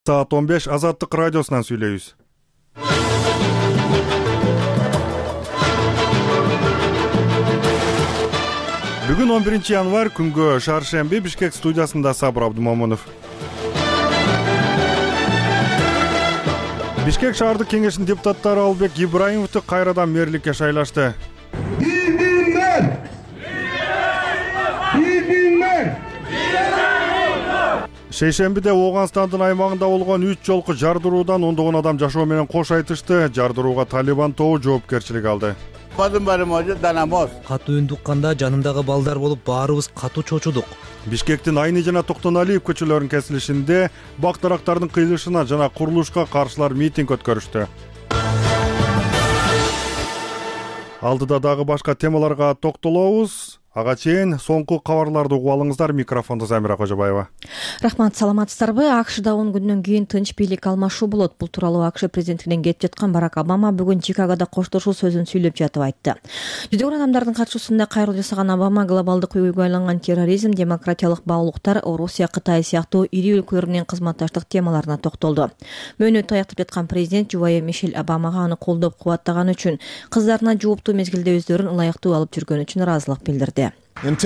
Saat 15 Azatlık Radyosu'ndan söylüyoruz. Bugün 11 yanvar күнгө Шаршемби Бишкек студиясында Сабыр Абдумомунов. Бишкек шаардык кеңешинин депутаттары Албек Ибраимовду кайрадан мэрликке шайлашты. Шейшембиде Ооганстандын аймагында болгон 3 жолку жардыруудан ондогон адам жашоо менен кош айтышты. Жардырууга Талибан тобу жоопкерчилик алды. Катуу үн тукканда жанымдагы балдар болуп баарыбыз катуу чочудук. Бишкектин Айны жана Токтоналиев көчөлөрүнүн кесилишинде бак дарактардын кыйылышына жана курулушка каршылар митинг өткөрүштү. Алдыда дагы башка темаларга токтолобуз. Ага чейин соңку кабарларды угуп алыңыздар. Микрофондо Замира Кожобаева. Рахмат, саламатсыздарбы? АКШда 10 күндөн кийин тынч бийлик алмашуу болот. Бул тууралуу АКШ президенттигинен кетип жаткан Барак Обама бүгүн Чикагода коштошуу сөзүн сүйлөп жатып айтты. Жүздөгөн адамдардын катышуусунда кайрылуу жасаган Обама глобалдык үйгө айланган терроризм, демократиялык баалуулуктар, Орусия, Кытай сыяктуу ири өлкөлөр менен кызматташтык темаларына токтолду. Мөөнөтү аяктап жаткан президент жубайы Мишель Обамага аны колдоп кубаттаганы үчүн, кыздарына жооптуу мезгилде өздөрүн ылайыктуу алып жүргөнү үчүн ыраазылык билдирди. Дагы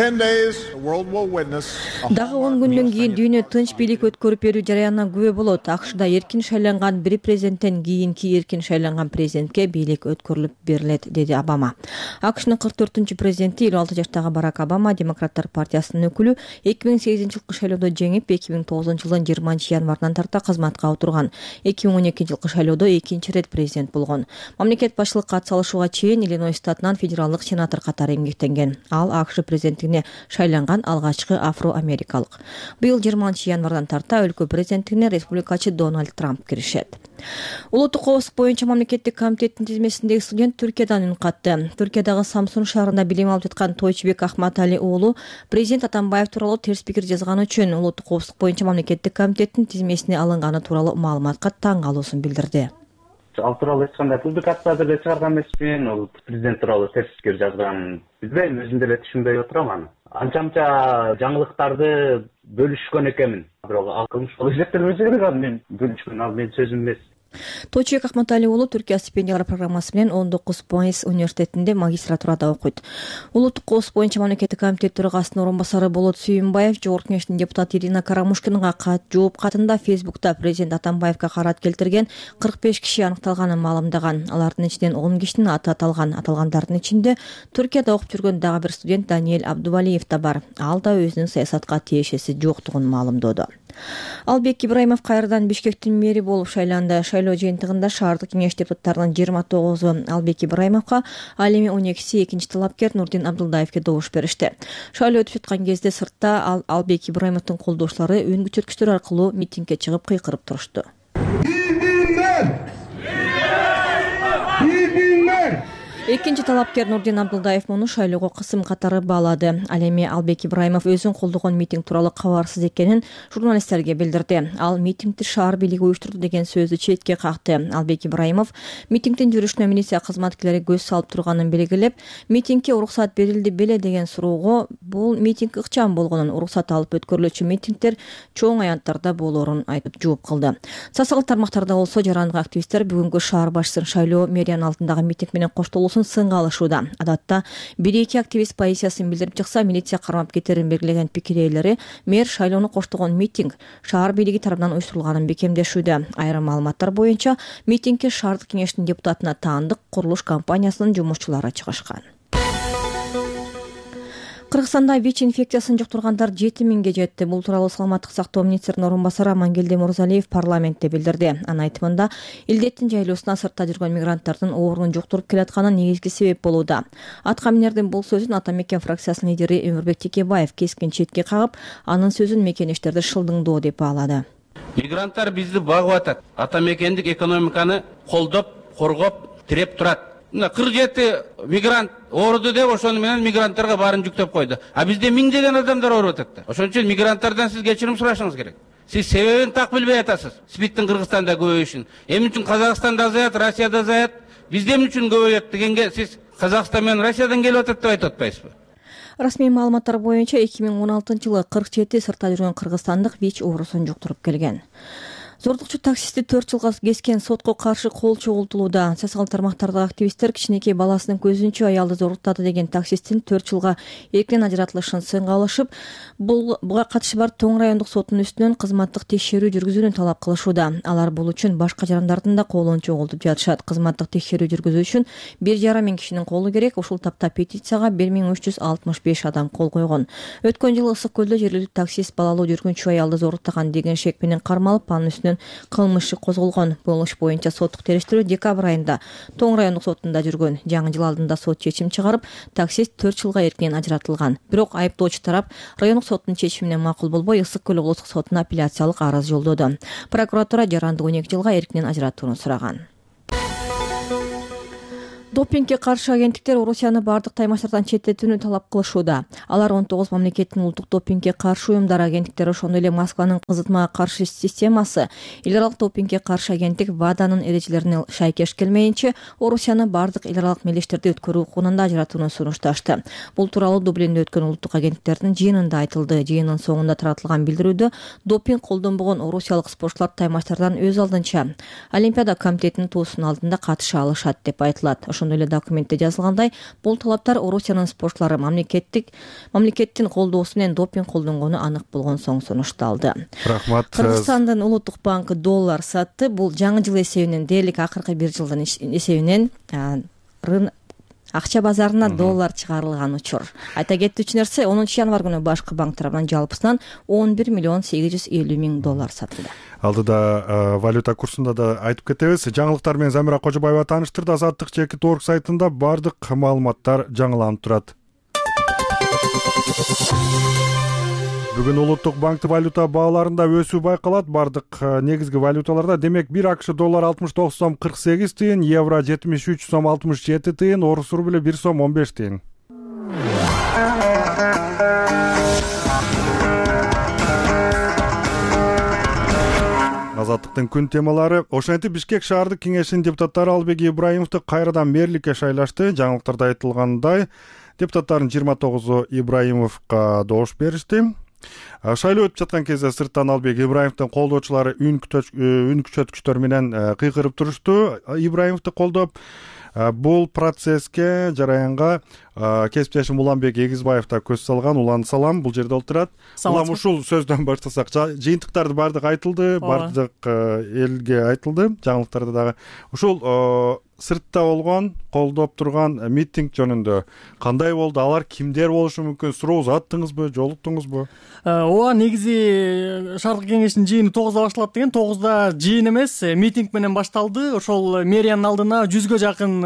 10 күндөн кийин дүйнө тынч бийлик өткөрүп берүү жараянына күбө болот. АКШда эркин шайланган бир президенттен кийинки эркин шайланган президентке бийлик өткөрүлүп берилет, деди Обама. АКШнын 44-ч президенти 56 жаштагы Барак Обама Демократтар партиясынын өкүлү 2008-жылкы шайлоодо жеңип, 2009-жылдын 20-январынан тарта кызматка отурган. 2012-жылкы шайлоодо экинчи ирет президент болгон. Мамлекет башчылыкка ат салышууга чейин Иллинойс штатынан федералдык сенатор катары эмгектенген. Ал АКШ президенттигине шайланган алгачкы афро-америкалык. Быйыл 20-январдан тарта өлкө президенттигине республикачы Дональд Трамп киришет. Улуттук коопсуздук боюнча мамлекеттик комитеттин тизмесиндеги студент Түркиядан үн катты. Түркиядагы Самсун шаарында билим алып жаткан Тойчубек Ахматали уулу президент Атамбаев тууралуу терс пикир жазганы үчүн улуттук коопсуздук боюнча мамлекеттик комитеттин тизмесине алынганы тууралуу маалыматка таң калуусун билдирди. Ал тууралуу эч кандай публикация деле чыгарган эмесмин. Ол президент тууралуу терс пикир жазган. Билбейм, өзүм деле түшүнбөй отурам аны. Анча жаңылыктарды бөлүшкөн экенмин. Бирок ал кылмыш болуп эсептелбесе керек, аны мен бөлүшкөн, ал менин сөзүм эмес. Тойчубек Ахматали уулу Түркия стипендиялар программасы менен 19 Майыс университетинде магистратурада окуйт. Улуттук коопсуздук боюнча мамлекеттик комитет төрагасынын орун басары Болот Сүйүнбаев Жогорку кеңештин депутаты Ирина Карамушкинага жооп катында Фейсбукта президент Атамбаевге карат келтирген 45 киши аныкталганын маалымдаган. Алардын ичинен 10 кишинин аты аталган. Аталгандардын ичинде Түркияда окуп жүргөн дагы бир студент Даниэль Абдувалиев да бар. Ал да өзүнүн саясатка тиешеси жоктугун маалымдоду. Албек Ибраимов кайрадан Бишкектин мэри болуп шайланды. Шайлоо жыйынтыгында шаардык кеңеш депутаттарынын 29-у Албек Ибраимовго, ал эми 12-си экинчи талапкер Нурдин Абдулдаевге добуш беришти. Шайлоо өтүп жаткан кезде сыртта Албек Ибраимовдун колдоочулары үн көчөрткүчтөр аркылуу митингге чыгып кыйкырып турушту. Экинчи талапкер Нурдин Абдулдаев муну шайлоого кысым катары баалады. Ал эми Албек Ибраимов өзүн колдогон митинг тууралуу кабарсыз экенин журналисттерге билдирди. Ал митингди шаар бийлиги уюштурду деген сөздү четке какты. Албек Ибраимов митингдин жүрүшүнө милиция кызматкерлери көз салып турганын белгилеп, митингге уруксат берилди беле деген суроого бул митинг ыкчам болгонун, уруксат алып өткөрүлүүчү митингдер чоң аянттарда болоорун айтып жооп кылды. Социалдык тармактарда болсо жарандык активисттер бүгүнкү шаар башчысынын шайлоо мэриянын алдындагы митинг менен коштолуусун сынга алышууда. Адатта 1-2 активист позициясын билдирип чыкса, милиция кармап кетерин белгилеген пикир ээлери мэр шайлоону коштогон митинг шаар бийлиги тарабынан уюштурулганын бекемдешүүдө. Айрым маалыматтар боюнча митингке шаардык кеңештин депутатына таандык курулуш компаниясынын жумушчулары чыгышкан. Кыргызстанда ВИЧ инфекциясын жуктургандар 7000ге жетти. Бул тууралуу саламаттык сактоо министринин орун басары Амангелди Мурзалиев парламентте билдирди. Анын айтымында, илдеттин жайлоосуна сыртта жүргөн мигранттардын оорунун жуктуруп келатканы негизги себеп болууда. Аткаминердин бул сөзүн Ата Мекен фракциясынын лидери Өмүрбек Текебаев кескин четке кагып, анын сөзүн мекенештерди шылдыңдоо деп баалады. Мигранттар бизди багып атат. Ата Мекендик экономиканы колдоп, коргоп, тиреп турат. 47 мигрант ооруду деп ошону менен мигранттарга баарын жүктөп койду. А бизде миңдеген адамдар ооруп атат да. Ошон үчүн мигранттардан сиз кечирим сурашыңыз керек. Сиз себебин так билбей атасыз. СПИДтин Кыргызстанда көбөйүшүн. Эмне үчүн Казакстанда азаят, Россияда азаят, бизде эмне үчүн көбөйөт дегенге сиз Казакстан менен Россиядан келип атат деп айтып атпайсызбы? Расмий маалыматтар боюнча 2016-жылы 47 сыртта жүргөн кыргызстандык ВИЧ оорусун жуктуруп келген. Зордукчу таксистти 4 жылга кескен сотко каршы кол чогултулууда. Социалдык тармактардагы активисттер кичинекей баласынын көзүнчө аялды зоруктады деген таксисттин 4 жылга эркинен ажыратылышын сынга алышып, буга катышы бар Тоң райондук сотунун үстүнөн кызматтык текшерүү жүргүзүүнү талап кылышууда. Алар бул үчүн башка жарандардын да колун чогултуп жатышат. Кызматтык текшерүү жүргүзүү үчүн 1,5 миң кишинин колу керек. Ушул тапта петицияга 1365 адам кол койгон. Өткөн жылы Ысык көлдө жергиликтүү таксист балалуу жүргүнчү аялды зоруктаган деген шек менен кармалып, анын үстүнөн кылмыш иши козголгон. Бул иш боюнча соттук териштирүү декабрь айында Тоң райондук сотунда жүргөн. Жаңы жыл алдында сот чечим чыгарып, таксист 4 жылга эркинен ажыратылган. Бирок айыптоочу тарап райондук соттун чечимине макул болбой, Ысык көл облустук сотуна апелляциялык арыз жолдоду. Прокуратура жаранды 12 жылга эркинен ажыратууну сураган. Допингге каршы агенттиктер Орусияны бардык таймаштардан четтетүүнү талап кылышууда. Алар 19 мамлекеттин улуттук допингге каршы уюмдары агенттиктери, ошондой эле Москванын кызытмага каршы системасы, эл аралык допингге каршы агенттик ВАДАнын эрежелерине шайкеш келмейинче Орусияны бардык эл аралык мелдештерди өткөрүү укугунан да ажыратууну сунушташты. Бул тууралуу Дублинде өткөн улуттук агенттиктердин жыйынында айтылды. Жыйындын соңунда таратылган билдирүүдө допинг колдонбогон орусиялык спортчулар таймаштардан өз алдынча Олимпиада комитетинин туусунун алдында катыша алышат деп айтылат. Ошондой эле документте жазылгандай, бул талаптар Орусиянын спортчулары мамлекеттин колдоосу менен допинг колдонгону анык болгон соң сунушталды. Рахмат. Кыргызстандын улуттук банкы доллар сатты. Бул жаңы жыл эсебинен дээрлик акыркы бир жылдын эсебинен акча базарына доллар чыгарылган учур. Айта кетүүчү нерсе, 10 январь күнү башкы банк тарабынан жалпысынан 11 миллион 850 миң доллар сатылды. Алдыда валюта курсунда да айтып кетебиз. Жаңылыктар менен Замира Кожобаева тааныштырды. Азаттык Чекит.org сайтында бардык маалыматтар жаңыланып турат. Бүгүн улуттук банктын валюта бааларында өсүү байкалат. Бардык негизги валюталарда, демек 1 акш доллар 69 сом 48 тыйын, евро 73 сом 67 тыйын, орус рубль 1 сом 15 тыйын. Азаттыктын күн темалары. Ошентип Бишкек шаардык кеңешинин депутаттары Албек Ибраимовду кайрадан мэрликке шайлашты. Жаңылыктарда айтылгандай, депутаттардын 29-у Ибраимовго добуш беришти. Шайлоо өтүп жаткан кезде сырттан Албек Ибраимовдун колдоочулары үн күчөткүчтөр менен кыйкырып турушту. Ибраимовду колдоп, бул процесске, жараянга кесиптешим Уланбек Эгизбаев да көз салган. Улан, салам, бул жерде олтурат. Улам, ушул сөздөн баштасак, жыйынтыктарды бардык айтылды, бардык элге айтылды, жаңылыктарда дагы. Ушул сыртта болгон, колдоп турган митинг жөнүндө кандай болду? Алар кимдер болушу мүмкүн? Суроо аттыңызбы, жолуктуңузбу? Ооба, негизи шаардык кеңештин жыйыны 9-да башталат деген. 9-да жыйын эмес, митинг менен башталды. Ошол мэриянын алдына 100гө жакын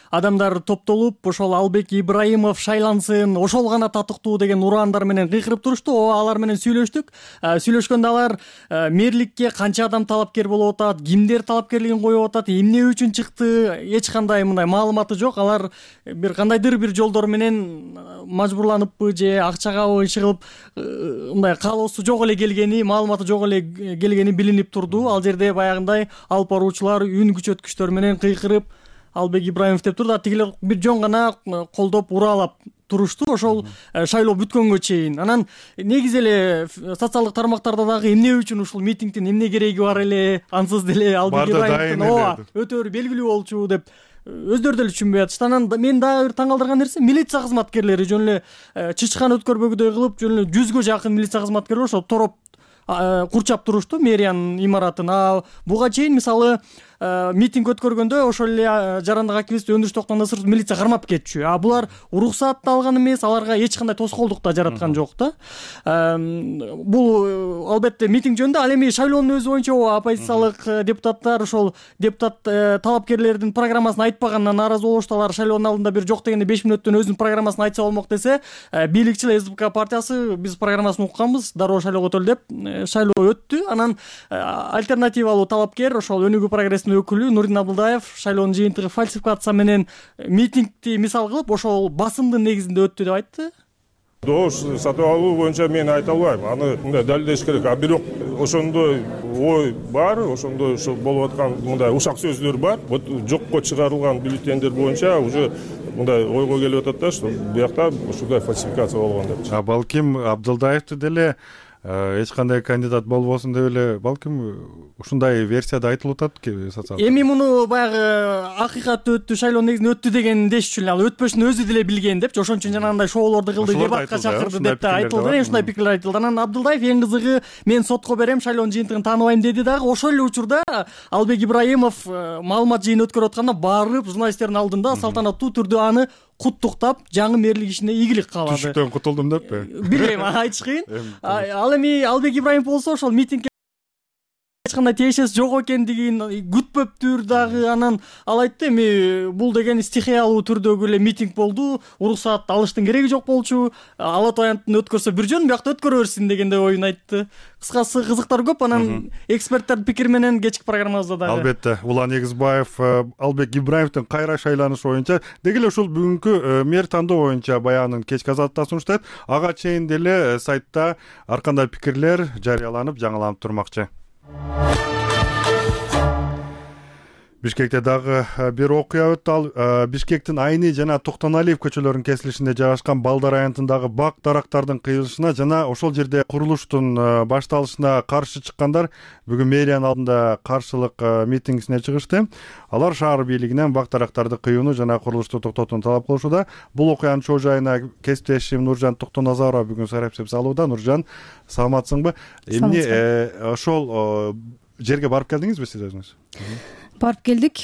адамдар топтолуп, ошол Албек Ибраимов шайлансын, ошол гана татыктуу деген ураандар менен кыйкырып турушту. Алар менен сүйлөштүк. Сүйлөшкөндө алар мэрликке канча адам талапкер болуп атат, кимдер талапкерлигин коюп атат, эмне үчүн чыкты, эч кандай мындай маалыматы жок. Алар бир кандайдыр бир жолдор менен мажбурланыппы же акчагабы иши кылып мындай каалоосу жок эле келгени, маалыматы жок эле келгени билинип турду. Ал жерде баягындай алып баруучулар үн күчөткүчтөр менен кыйкырып Албек Ибраимов деп турду. Тигилер бир жон гана колдоп ураалап турушту ошол шайлоо бүткөнгө чейин. Анан негизи эле социалдык тармактарда дагы эмне үчүн ушул митингдин эмне кереги бар эле, ансыз деле Албек Ибраимовдун өтө бир белгилүү болчу деп өздөрү деле түшүнбөй атышты. Анан мен дагы бир таң калтырган нерсе, милиция кызматкерлери жөн эле чычкан өткөрбөгүдөй кылып, жөн эле 100гө жакын милиция кызматкери ошол тороп курчап турушту мэриянын имаратын. Буга чейин мисалы митинг өткөргөндө ошол эле жарандык активист Өндүрүш Токтондосур милиция кармап кетчү. Булар уруксат да алган эмес, аларга эч кандай тоскоолдук да жараткан жок да. Бул албетте митинг жөнүндө. Ал эми шайлоонун өзү боюнча оппозициялык депутаттар ошол депутат талапкерлердин программасын айтпаганына нааразы болушту. Алар шайлоонун алдында бир жок дегенде 5 мүнөттөн өзүнүн программасын айтса болмок десе, бийликчил СБК партиясы биз программасын укканбыз, дароо шайлоого өтөлү деп шайлоо өттү. Анан альтернативалуу талапкер ошол Өнүгүү прогресс өкүлү Нурдин Абылдаев шайлоонун жыйынтыгы фальсификация менен митингди мисал кылып ошол басымдын негизинде өттү деп айтты. Добуш сатып алуу боюнча мен айта албайм, аны мындай далилдеш керек. Бирок ошондой ой бар, ошондой ошо болуп аткан мындай ушак сөздөр бар. Вот жокко чыгарылган бюллетендер боюнча уже мындай ойго келип атат да, что биякта ушундай фальсификация болгон деп. Балким Абдылдаевди деле эч кандай кандидат болбосун деп эле балким ушундай версияда айтылып атат эми муну баягы акыйкат өттү, шайлоо негизинен өттү деген деш үчүн ал өтпөшүн өзү деле билген депчи, ошон үчүн жанагындай шоулорду кылды, дебатка чакырды деп да айтылды. Ушундай пикирлер айтылды. Анан Абдылдаев эң кызыгы мен сотко берем, шайлоонун жыйынтыгын тааныбайм деди дагы. Ошол эле учурда Албек Ибраимов маалымат жыйын өткөрүп атканда барып журналисттердин алдында салтанаттуу түрдө аны куттуктап жаңы мэрлик ишине ийгилик каалады. Түшүктөн кутулдум деппи? Билбейм, айтыш кыйын. Ал эми Албек Ибраимов болсо ошол митингге эч кандай тиешеси жок экендигин күтпөптүр дагы. Анан ал айтты, эми бул деген стихиялуу түрдөгү эле митинг болду, уруксат алыштын кереги жок болчу, Ала Тоо аянтын өткөрсө бир жөн, биякта өткөрө берсин дегендей оюн айтты. Кыскасы кызыктар көп. Анан эксперттердин пикири менен кечки программабызда дагы албетте Улан Эгизбаев Албек Ибраимовдун кайра шайланышы боюнча деги эле ушул бүгүнкү мэр тандоо боюнча баянын кечки азаттыкта сунуштайт. Ага чейин деле сайтта ар кандай пикирлер жарыяланып, жаңыланып турмакчы. Бишкекте дагы бир окуя өттү. Ал Бишкектин Айни жана Токтоналиев көчөлөрүнүн кесилишинде жайгашкан Балдар аянтындагы бак дарактардын кыйылышына жана ошол жерде курулуштун башталышына каршы чыккандар бүгүн мэриянын алдында каршылык митингисине чыгышты. Алар шаар бийлигинен бак дарактарды кыюуну жана курулушту токтотууну талап кылышууда. Бул окуянын чоо жайына кесиптешим Нуржан Токтоназарова бүгүн сайрап салууда. Нуржан, саламатсыңбы? Эмне ошол жерге барып келдиңизби сиз өзүңүз? Барып келдик.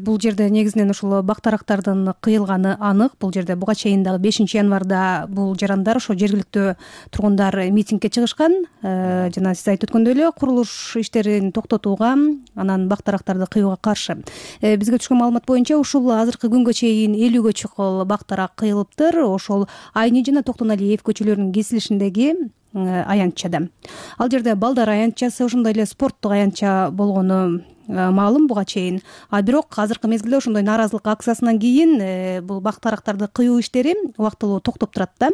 Бул жерде негизинен ушул бак дарактардын кыйылганы анык. Бул жерде буга чейин дагы 5 январда бул жарандар ошо жергиликтүү тургундар митингге чыгышкан. Жана сиз айтып өткөндөй эле курулуш иштерин токтотууга, анан бак дарактарды кыюуга каршы. Бизге түшкөн маалымат боюнча ушул азыркы күнгө чейин 50гө чукул бак дарак кыйылыптыр. Ошол Айни жана Токтоналиев көчөлөрүнүн кесилишиндеги аянтчада. Ал жерде Балдар аянтчасы, ошондой эле спорттук аянтча болгону маалым буга чейин. Бирок азыркы мезгилде ошондой нааразылык акциясынан кийин бул бак дарактарды кыюу иштери убактылуу токтоп турат да.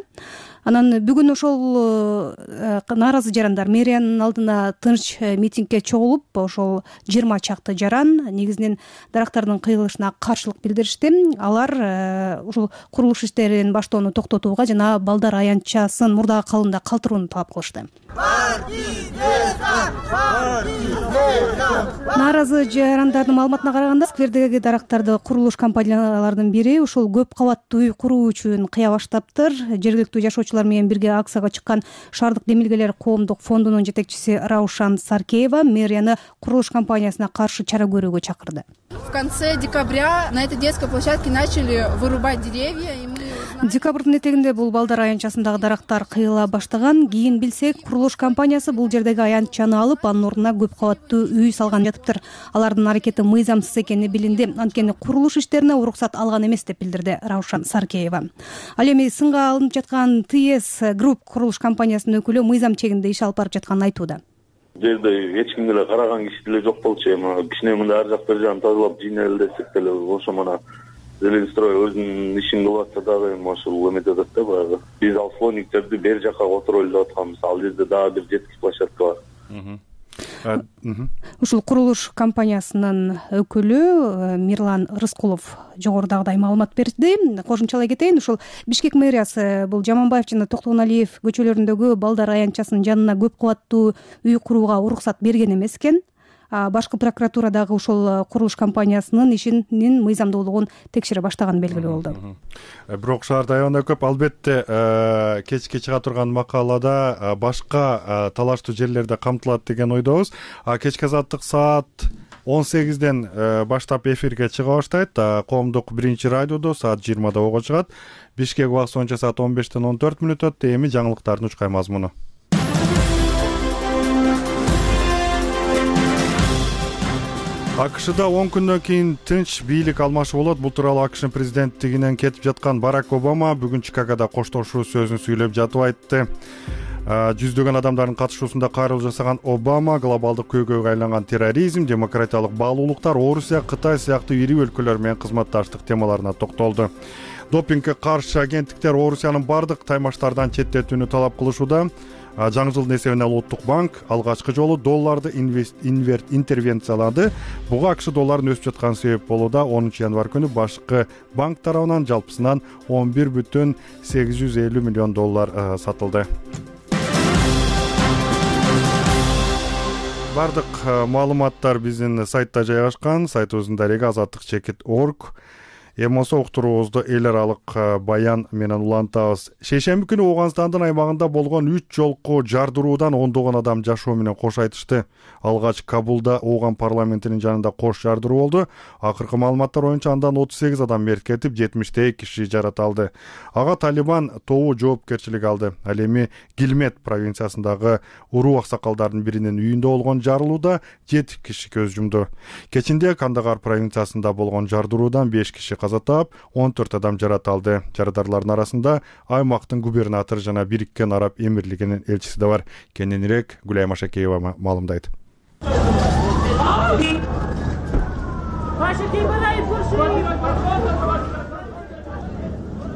Анан бүгүн ошол нааразы жарандар мэриянын алдына тынч митингге чогулуп, ошол 20 чакты жаран негизинен дарактардын кыйылышына каршылык билдиришти. Алар ушул курулуш иштерин баштоону токтотууга жана Балдар аянтчасын мурдагы калыбында калтырууну талап кылышты. Нааразы жарандардын маалыматына караганда, сквердеги дарактарды курулуш компанияларынын бири ушул көп кабаттуу үй куруу үчүн кыя баштаптыр. Жергиликтүү жашоочулар менен бирге акцияга чыккан Шаардык Демилгелер коомдук фондунун жетекчиси Раушан Саркеева мэрияны курулуш компаниясына каршы чара көрүүгө чакырды. В конце декабря на этой детской площадке начали вырубать деревья, и мы Декабрдын этегинде бул Балдар аянтчасындагы дарактар кыйыла баштаган. Кийин билсек, курулуш компаниясы бул жердеги аянтчаны алып, анын ордуна көп кабаттуу үй салган жатыптыр. Алардын аракети мыйзамсыз экени билинди. Анткени курулуш иштерине уруксат алган эмес деп билдирди Раушан Саркеева. Ал эми сынга алынып жаткан ТС Групп курулуш компаниясынын өкүлү мыйзам чегинде иш алып барып жатканын айтууда. Жерде эч кимге эле караган киши деле жок болчу. Эми кичине мындай ар жак бер жагын тазалап жыйнайлы десек деле ошо мана Зеленстрой өзүнүн ишин кылып атса дагы эми ошол эметип атат да баягы. Биз ал слониктерди бер жака которолу деп атканбыз. Ал жерде дагы бир жетки площадка бар. Ушул курулуш компаниясынын өкүлү Мирлан Рыскулов жогорудагыдай маалымат берди. Кошумчалай кетейин, ушул Бишкек мэриясы бул Жаманбаев жана Токтоналиев көчөлөрүндөгү Балдар аянтчасынын жанына көп кабаттуу үй курууга уруксат берген эмес экен. Башкы прокуратура дагы ушул курулуш компаниясынын ишинин мыйзамдуулугун текшере баштаганы белгилүү болду. Бирок шаарда аябай көп, албетте кечке чыга турган макалада башка талаштуу жерлерде камтылат деген ойдобуз. Кечки азаттык саат 18ден баштап эфирге чыга баштайт. Коомдук биринчи радиодо саат 20да ого чыгат. Бишкек убакыты боюнча саат 15ден 14 мүнөт өттү. Эми жаңылыктардын учкай мазмуну. АКШда 10 күндөн кийин тынч бийлик алмашуу болот. Бул тууралуу АКШнын президенттигинен кетип жаткан Барак Обама бүгүн Чикагода коштошуу сөзүн сүйлөп жатып айтты. Жүздөгөн адамдардын катышуусунда кайрылуу жасаган Обама глобалдык көйгөйгө айланган терроризм, демократиялык баалуулуктар, Орусия, Кытай сыяктуу ири өлкөлөр менен кызматташтык темаларына токтолду. Допингге каршы агенттиктер Орусиянын бардык таймаштардан четтетүүнү талап кылышууда. Жаңы жылдын эсебинен Улуттук банк алгачкы жолу долларды интервенциялады. Буга АКШ долларын өсүп жаткан себеп болууда. 10 январь күнү башкы банк тарабынан жалпысынан 11,850 миллион доллар сатылды. Бардык маалыматтар биздин сайтта жайгашкан. Сайтыбыздын дареги azatlyk.org. Эмосо уктуруубузду эл аралык баян менен улантабыз. Шейшемби күнү Ооганстандын аймагында болгон 3 жолку жардыруудан ондогон адам жашоо менен кош айтышты. Алгач Кабулда Ооган парламентинин жанында кош жардыруу болду. Акыркы маалыматтар боюнча андан 38 адам мерт кетип, 70 киши жараталды. Ага Талибан тобу жоопкерчилик алды. Ал эми Гилмет провинциясындагы уруу аксакалдардын биринин үйүндө болгон жарылууда 7 киши көз жумду. Кечинде Кандагар провинциясында болгон жардыруудан 5 киши каза таап, 14 адам жараталды. Жарадарлардын арасында аймактын губернатору жана Бириккен Араб Эмирлигинин элчиси да бар. Кененирээк Гүлай Машакеева маалымдайт.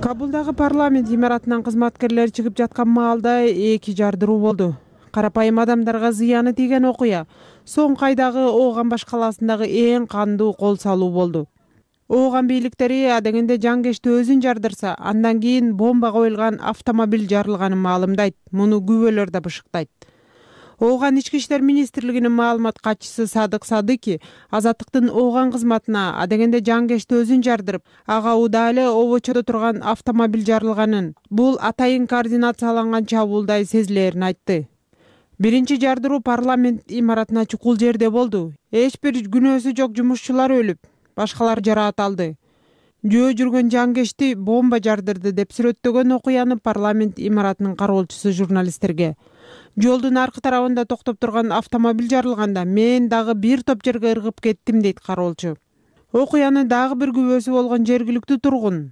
Кабулдагы парламент имаратынан кызматкерлер чыгып жаткан маалда 2 жардыруу болду. Карапайым адамдарга зыяны тийген окуя соңку айдагы Ооган башкаласындагы эң кандуу кол салуу болду. Ооган бийликтери адегенде жангечти өзүн жардырса, андан кийин бомба коюлган автомобиль жарылганын маалымдайт. Муну күбөлөр да бышыктайт. Ооган ички иштер министрлигинин маалымат катчысы Садык Садыки Азаттыктын Ооган кызматына адегенде жангечти өзүн жардырып, ага уда эле обочодо турган автомобиль жарылганын, бул атайын координацияланган чабуулдай сезилерин айтты. Биринчи жардыруу парламент имаратына чукул жерде болду. Эч бир күнөөсү жок жумушчулар өлүп, башкалар жараат-алды. Жөө жүргөн жангечти бомба жардырды деп сүрөттөгөн окуяны парламент имаратынын кароолчусу журналисттерге. Жолдун аркы тарабында токтоп турган автомобиль жарылганда мен дагы бир топ жерге ыргып кеттим дейт кароолчу. Окуяны дагы бир күбөсү болгон жергиликтүү тургун.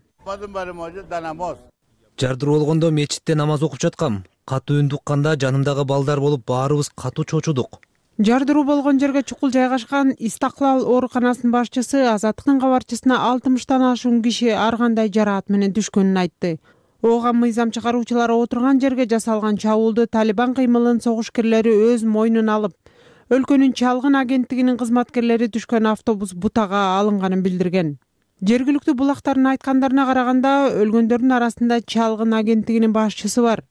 Жардыруу болгондо мечитте намаз окуп жаткам. Катуу үн укканда жанымдагы балдар болуп баарыбыз катуу чочудук. Жардыруу болгон жерге чукул жайгашкан Истаклал ооруканасынын башчысы Азаттыктын кабарчысына 60тан ашуун киши ар кандай жараат менен түшкөнүн айтты. Ооган мыйзам чыгаруучулары отурган жерге жасалган чабуулду Талибан кыймылынын согушкерлери өз мойнуна алып, өлкөнүн чалгын агенттигинин кызматкерлери түшкөн автобус бутага алынганын билдирген. Жергиликтүү булактардын айткандарына караганда, өлгөндөрдүн арасында чалгын агенттигинин башчысы бар.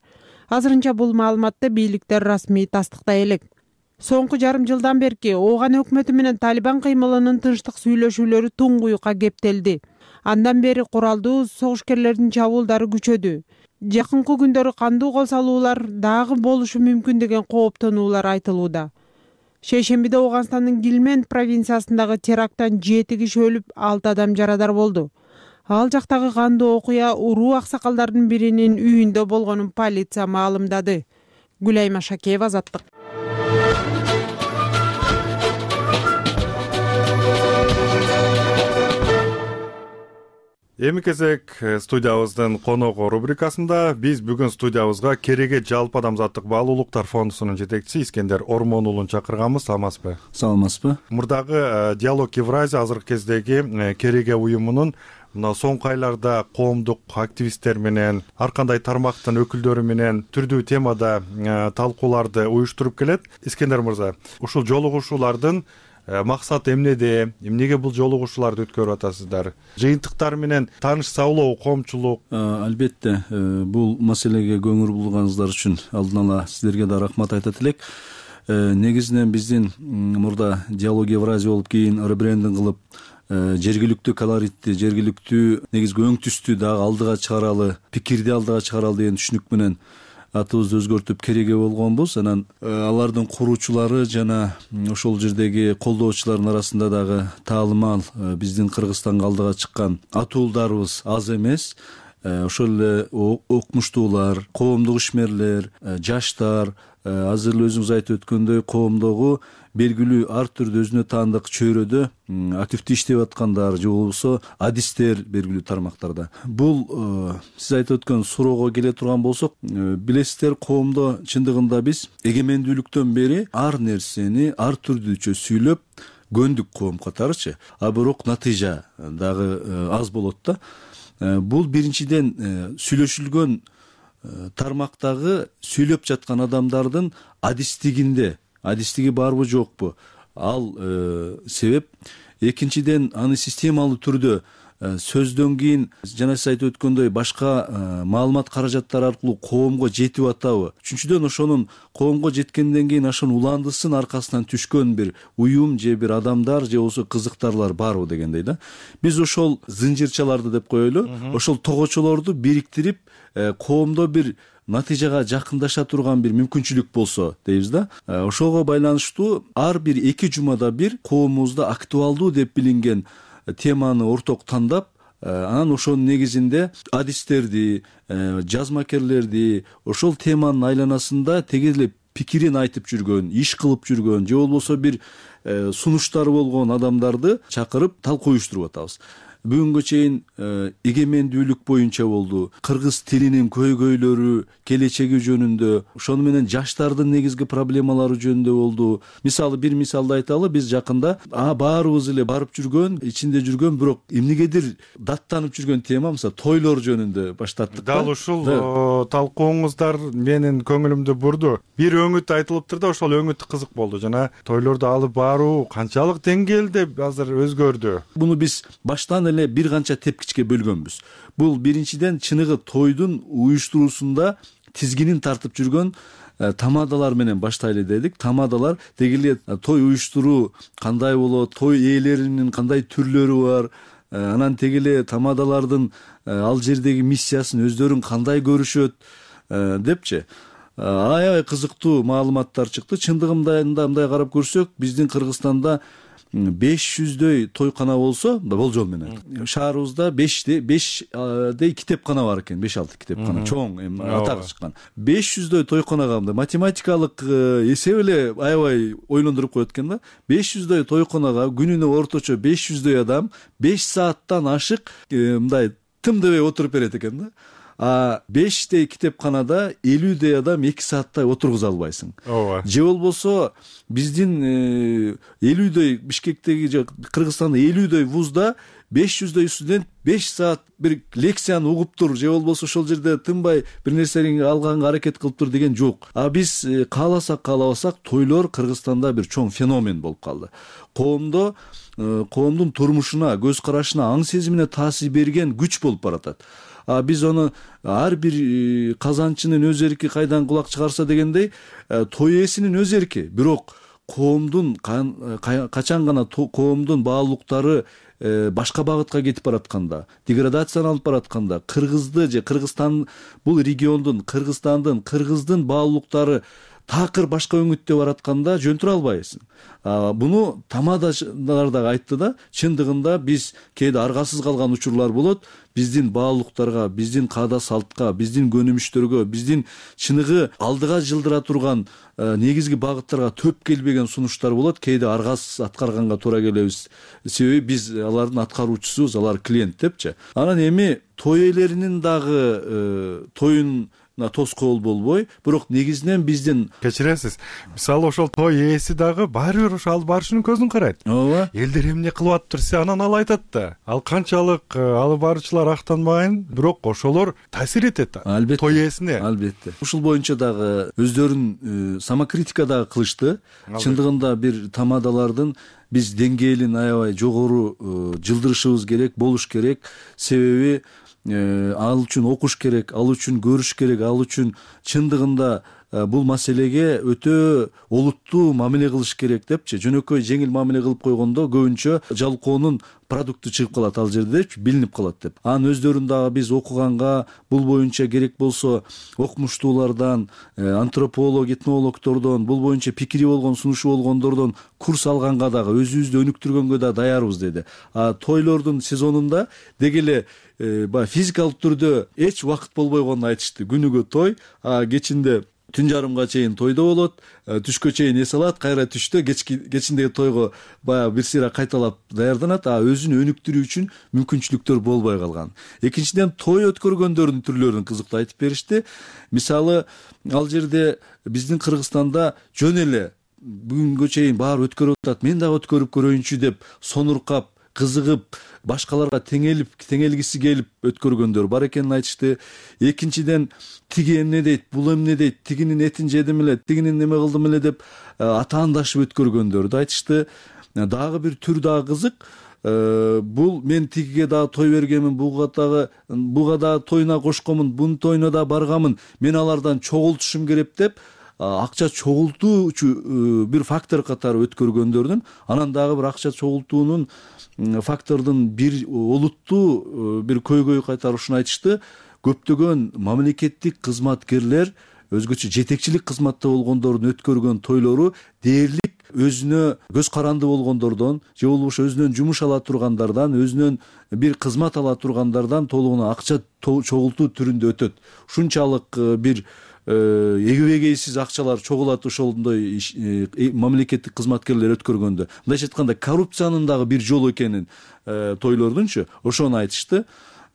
Азырынча бул маалыматты бийликтер расмий тастыктай элек. Соңку жарым жылдан берки Ооган өкмөтү менен Талибан кыймылынын тынчтык сүйлөшүүлөрү туңгуюкка кептелди. Андан бери куралдуу согушкерлердин чабуулдары күчөдү. Жакынкы күндөрү кандуу кол салуулар дагы болушу мүмкүн деген кооптонуулар айтылууда. Шейшембиде Ооганстандын Гилмент провинциясындагы теракттан 7 киши өлүп, 6 адам жарадар болду. Ал жактагы кандуу окуя уруу аксакалдардын биринин үйүндө болгонун полиция маалымдады. Гүлай Машакеева, Азаттык. Эми кезек студиябыздын коногу рубрикасында биз бүгүн студиябызга Кереге жалпы адамзаттык баалуулуктар фондусунун жетекчиси Искендер Ормон уулун чакырганбыз. Саламатсызбы? Саламатсызбы. Мурдагы Диалог Евразия азыркы кездеги Кереге уюмунун мына соңку айларда коомдук активисттер менен, ар кандай тармактын өкүлдөрү менен түрдүү темада талкууларды уюштуруп келет. Искендер мырза, ушул жолугушуулардын максаты эмнеде? Эмнеге бул жолугушууларды өткөрүп атасыздар? Жыйынтыктар менен таанышсалоо коомчулук? Албетте, бул маселеге көңүл бурганыңыздар үчүн алдын ала сиздерге да рахмат айтат элек. Негизинен биздин мурда Диалог Евразия болуп кийин ребрендинг кылып, жергиликтүү колоритти, жергиликтүү негизги өң түстү дагы алдыга чыгаралы, пикирди алдыга чыгаралы деген түшүнүк менен атыбызды өзгөртүп Кереге болгонбуз. Анан алардын куруучулары жана ошол жердеги колдоочулардын арасында дагы таалымал биздин Кыргызстанга алдыга чыккан атуулдарыбыз аз эмес. Ошол эле окумуштуулар, коомдук ишмерлер, жаштар, азыр эле өзүңүз айтып өткөндөй коомдогу белгилүү ар түрдүү өзүнө таандык чөйрөдө активдүү иштеп аткандар же болбосо адистер белгилүү тармактарда. Бул сиз айтып өткөн суроого келе турган болсок, билесиздер, коомдо чындыгында биз эгемендүүлүктөн бери ар нерсени ар түрдүүчө сүйлөп көндүк коом катарычы. А бирок натыйжа дагы аз болот да. Бул биринчиден сүйлөшүлгөн тармактагы сүйлөп жаткан адамдардын адистиги барбы жокпу? Ал себеп. Экинчиден аны системалуу түрдө сөздөн кийин жана сиз айтып өткөндөй башка маалымат каражаттары аркылуу коомго жетип атабы, үчүнчүдөн ошонун коомго жеткенден кийин ошонун уландысын аркасынан түшкөн бир уюм же бир адамдар же болбосо кызыктарлар барбы дегендей да. Биз ошол зынжирчаларды деп коелу, ошол тогочолорду бириктирип коомдо бир натыйжага жакындаша турган бир мүмкүнчүлүк болсо дейбиз да. Ошого байланыштуу ар бир 2 жумада бир коомубузда актуалдуу деп билинген теманы орток тандап, анан ошонун негизинде адистерди, жазмакерлерди ошол теманын айланасында теге эле пикирин айтып жүргөн, иш кылып жүргөн же болбосо бир сунуштары болгон адамдарды чакырып талкуу уюштуруп атабыз. Бүгүнгө чейин эгемендүүлүк боюнча болду, кыргыз тилинин көйгөйлөрү, келечеги жөнүндө, ошону менен жаштардын негизги проблемалары жөнүндө болду. Мисалы бир мисалды айталы, биз жакында баарыбыз эле барып жүргөн, ичинде жүргөн, бирок эмнегедир даттанып жүргөн тема, мисалы тойлор жөнүндө баштаттык. Дал ушул талкууңуздар менин көңүлүмдү бурду. Бир өңүт айтылыптыр да, ошол өңүт кызык болду. Жана тойлорду алып баруу канчалык деңгээлде азыр өзгөрдү? Буну биз баштан бир канча тепкичке бөлгөнбүз. Бул биринчиден чыныгы тойдун уюштуруусунда тизгинин тартып жүргөн тамадалар менен баштайлы дедик. Тамадалар деги эле той уюштуруу кандай болот, той ээлеринин кандай түрлөрү бар, анан теги эле тамадалардын ал жердеги миссиясын өздөрүн кандай көрүшөт депчи. Аябай кызыктуу маалыматтар чыкты. Чындыгында мындай карап көрсөк, биздин Кыргызстанда 500дөй тойкана болсо, болжол менен шаарыбызда 5дей китепкана бар экен, 5-6 китепкана чоң атак чыккан. 500дөй тойканага математикалык эсеп эле аябай ойлондуруп коет экен да. 500дөй тойканага күнүнө орточо 500дөй адам 5 сааттан ашык мындай тым дебей отуруп берет экен да. 5дей китепканада 50дөй адам 2 сааттай отургуза албайсың. Же болбосо биздин 50дөй Бишкектеги же Кыргызстанда 50дөй вузда 500дөй студент 5 саат бир лекцияны угуп тур, же болбосо ошол жерде тынбай бир нерсени алганга аракет кылып тур деген жок. Биз кааласак каалабасак тойлор Кыргызстанда бир чоң феномен болуп калды. Коомдун турмушуна, көз карашына, аң сезимине таасир берген күч болуп баратат. Биз ону ар бир казанчынын өз эрки кайдан кулак чыгарса дегендей, той ээсинин өз эрки. Бирок коомдун качан гана коомдун баалуулуктары башка багытка кетип баратканда, деградацияланып баратканда, кыргызды же Кыргызстан бул региондун, кыргыздын баалуулуктары такыр башка өңүттө баратканда жөнтүрө албайсың. Буну тамадалар да айтты да, чындыгында биз кээде аргасыз калган учурлар болот. Биздин баалуулуктарга, биздин каада салтка, биздин көнүмүштөргө, биздин чыныгы алдыга жылдыра турган негизги багыттарга төп келбеген сунуштар болот. Кээде аргасыз аткарганга туура келебиз. Себеби биз алардын аткаруучусубуз, алар клиент депчи. Анан эми той ээлеринин дагы тоюн тоскоол болбой, бирок негизинен биздин кечиресиз. Мисалы ошол той ээси дагы баары бир ошо алып барышынын көзүн карайт. Ооба. Элдер эмне кылып атыптыр, анан ал айтат да. Ал канчалык алып баруучулар актанбайын, бирок ошолор таасир этет той ээсине. Албетте. Ушул боюнча дагы өздөрүн самокритика дагы кылышты. Чындыгында бир тамадалардын биз деңгээлин аябай жогору жылдырышыбыз керек, болуш керек. Себеби ал үчүн окуш керек, ал үчүн көрүш керек, ал үчүн чындыгында бул маселеге өтө олуттуу мамиле кылыш керек депчи. Жөнөкөй жеңил мамиле кылып койгондо көбүнчө жалкоонун продукту чыгып калат ал жердечи, билинип калат деп. Анын өздөрүн дагы биз окуганга, бул боюнча керек болсо окумуштуулардан, антрополог, этнологдордон, бул боюнча пикири болгон, сунушу болгондордон курс алганга дагы, өзүбүздү өнүктүргөнгө да даярбыз деди. Тойлордун сезонунда деги эле физикалык түрдө эч убакыт болбой койгонун айтышты. Күнүгө той, кечинде түн жарымга чейин тойдо болот, түшкө чейин эс алат, кайра түштө кечиндеги тойго баягы бир сыйра кайталап даярданат, өзүн өнүктүрүү үчүн мүмкүнчүлүктөр болбой калган. Экинчиден, той өткөргөндөрдүн түрлөрүн кызыктуу айтып беришти. Мисалы, ал жерде биздин Кыргызстанда жөн эле бүгүнгө чейин баары өткөрүп атат, мен дагы өткөрүп көрөйүнчү деп сонуркап, кызыгып, башкаларга теңелгиси келип өткөргөндөр бар экенин айтышты. Экинчиден, тиги эмне дейт, бул эмне дейт, тигинин этин жедим эле, тигинин неме кылдым эле деп атаандашып өткөргөндөрдү айтышты. Дагы бир түр дагы кызык. бул мен тигиге дагы той бергенмин, буга дагы тоюна кошконмун, бунун тоюна да барганмын, мен алардан чогултушум керек деп акча чогултуучу бир фактор катары өткөргөндөрдүн, анан дагы бир акча чогултуунун фактордун бир олуттуу бир көйгөйү катары ушуну айтышты. Көптөгөн мамлекеттик кызматкерлер, өзгөчө жетекчилик кызматта болгондордун өткөргөн тойлору дээрлик өзүнө көз каранды болгондордон же болбосо өзүнөн жумуш ала тургандардан, өзүнөн бир кызмат ала тургандардан толугуна акча чогултуу түрүндө өтөт. Ушунчалык бир эгебегейсиз акчалар чогулат ошондой мамлекеттик кызматкерлер өткөргөндө. Мындайча айтканда коррупциянын дагы бир жолу экенин тойлордунчу ошону айтышты.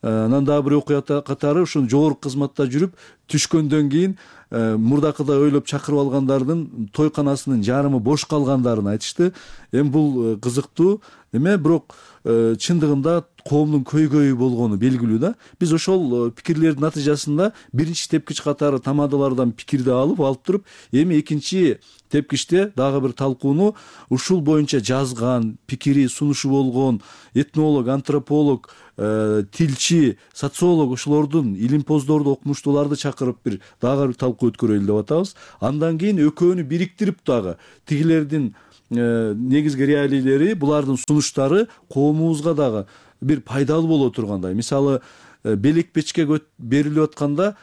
Анан дагы бир окуя катары ушун жогорку кызматта жүрүп түшкөндөн кийин мурдакыдай ойлоп чакырып алгандардын тойканасынын жарымы бош калгандарын айтышты. Эми бул кызыктуу эме, бирок чындыгында коомдун көйгөйү болгону белгилүү да. Биз ошол пикирлердин натыйжасында биринчи тепкич катары тамадалардан пикирди алып туруп, эми экинчи тепкичте дагы бир талкууну ушул боюнча жазган, пикири сунушу болгон этнолог, антрополог, тилчи, социолог ошолордун илимпоздорду, окумуштууларды чакырып дагы бир талкуу өткөрөлү деп атабыз. Андан кийин экөөнү бириктирип дагы тигилердин негизги реалийлери, булардын сунуштары коомубузга дагы бир пайдалуу боло тургандай. Мисалы, белек печке берилип атканда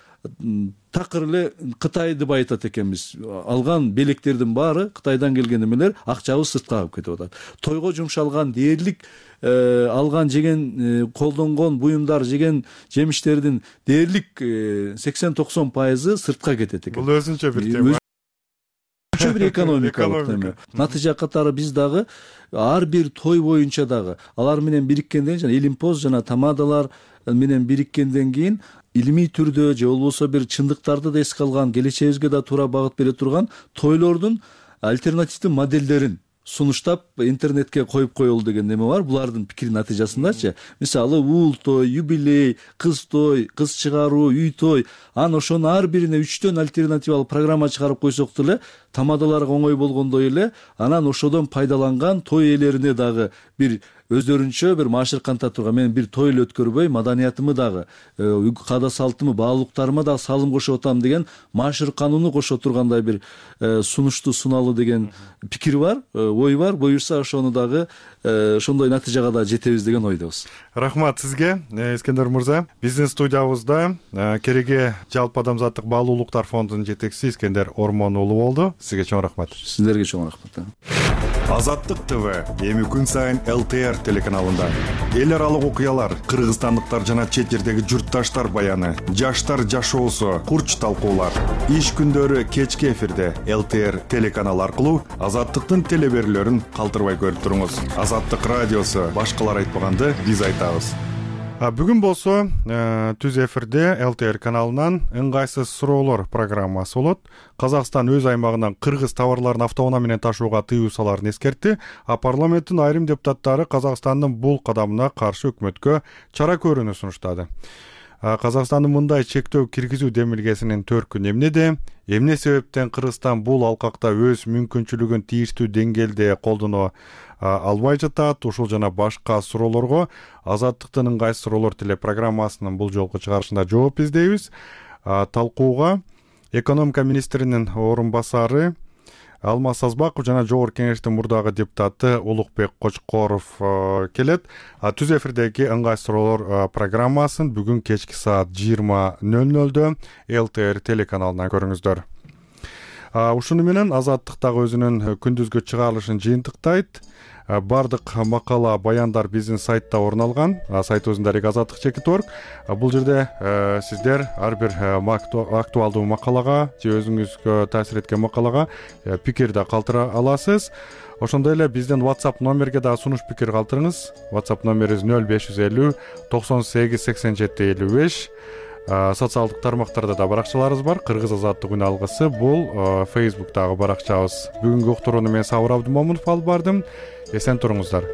такыр эле Кытайды байытат экенбиз. Алган белектердин баары Кытайдан келген эмелер, акчабыз сыртка калып кетип атат. Тойго жумшалган дээрлик алган жеген колдонгон буюмдар, жеген жемиштердин дээрлик 80-90% сыртка кетет экен. Бул өзүнчө бир тема. Бир экономикалык тема. Натыйжа катары биз дагы ар бир той боюнча дагы алар менен бириткенден кийин, илимпоз жана тамадалар менен бириткенден кийин илимий түрдө же болбосо бир чындыктарды да эске алган, келечегибизге да туура багыт бере турган тойлордун альтернативдүү моделдерин сунуштап интернетке коюп коелу деген неме бар. Булардын пикиринин натыйжасындачы, мисалы уул той, юбилей, кыз той, кыз чыгаруу, үй той, анан ошонун ар бирине 3төн альтернативалык программа чыгарып койсок деле тамадаларга оңой болгондой эле, анан ошодон пайдаланган той ээлерине дагы бир өздөрүнчө бир маашыр канта турган, мен бир той эле өткөрбөй, маданиятымы дагы, каада салтымы, баалуулуктарыма дагы салым кошуп атам деген маашыр канууну кошо тургандай бир сунушту суналуу деген пикир бар, ой бар. Буюрса ошону дагы ошондой натыйжага да жетебиз деген ойдобуз. Рахмат сизге, Искендер мырза. Биздин студиябызда кереге жалпы адамзаттык баалуулуктар фондунун жетекчиси Искендер Ормон уулу болду. Сизге чоң рахмат. Сиздерге чоң рахмат. Азаттык ТВ эми күн сайын ЛТР телеканалында эл аралык окуялар, кыргызстандыктар жана чет жердеги журтташтар баяны, жаштар жашоосу, курч талкуулар. Иш күндөрү кечки эфирде ЛТР телеканалы аркылуу Азаттыктын телеберүүлөрүн калтырбай көрүп туруңуз. Азаттык радиосу башкалар айтпаганды биз айтабыз. Бүгүн болсо түз эфирде ЛТР каналынан ыңгайсыз суроолор программасы болот. Казакстан өз аймагынан кыргыз товарларын автоунаа менен ташууга тыюу саларын эскертти. Парламенттин айрым депутаттары Казакстандын бул кадамына каршы өкмөткө чара көрүүнү сунуштады. Казакстандын мындай чектөө киргизүү демилгесинин төркүнү эмнеде? Эмне себептен Кыргызстан бул алкакта өз мүмкүнчүлүгүн тийиштүү деңгээлде колдоно албай жатат? Ушул жана башка суроолорго Азаттыктын ыңгайсыз суроолор телепрограммасынын бул жолку чыгарышында жооп издейбиз. Талкууга экономика министринин орун басары Алмаз Сазбаков жана Жогорку Кеңештин мурдагы депутаты Улукбек Кочкоров келет. Түз эфирдеги ыңгайсыз суроолор программасын бүгүн кечки саат 20:00 ЛТР телеканалынан көрүңүздөр. Ушуну менен Азаттык дагы өзүнүн күндүзгү чыгарылышын жыйынтыктайт. Бардык макала, баяндар биздин сайтта орун алган. Сайтыбыздын дареги Азаттык.org. Бул жерде сиздер ар бир актуалдуу макалага же өзүңүзгө таасир эткен макалага пикир да калтыра аласыз. Ошондой эле биздин WhatsApp номерге да сунуш пикир калтырыңыз. WhatsApp номерибиз 0550 98 87 55. Социалдык тармактарда да баракчаларыбыз бар. Кыргыз Азаттык үн алгысы бул Facebook'тагы баракчабыз. Бүгүнкү уктурууну мен Сабыр Абдымомунов алып бардым. Эсен туруңуздар.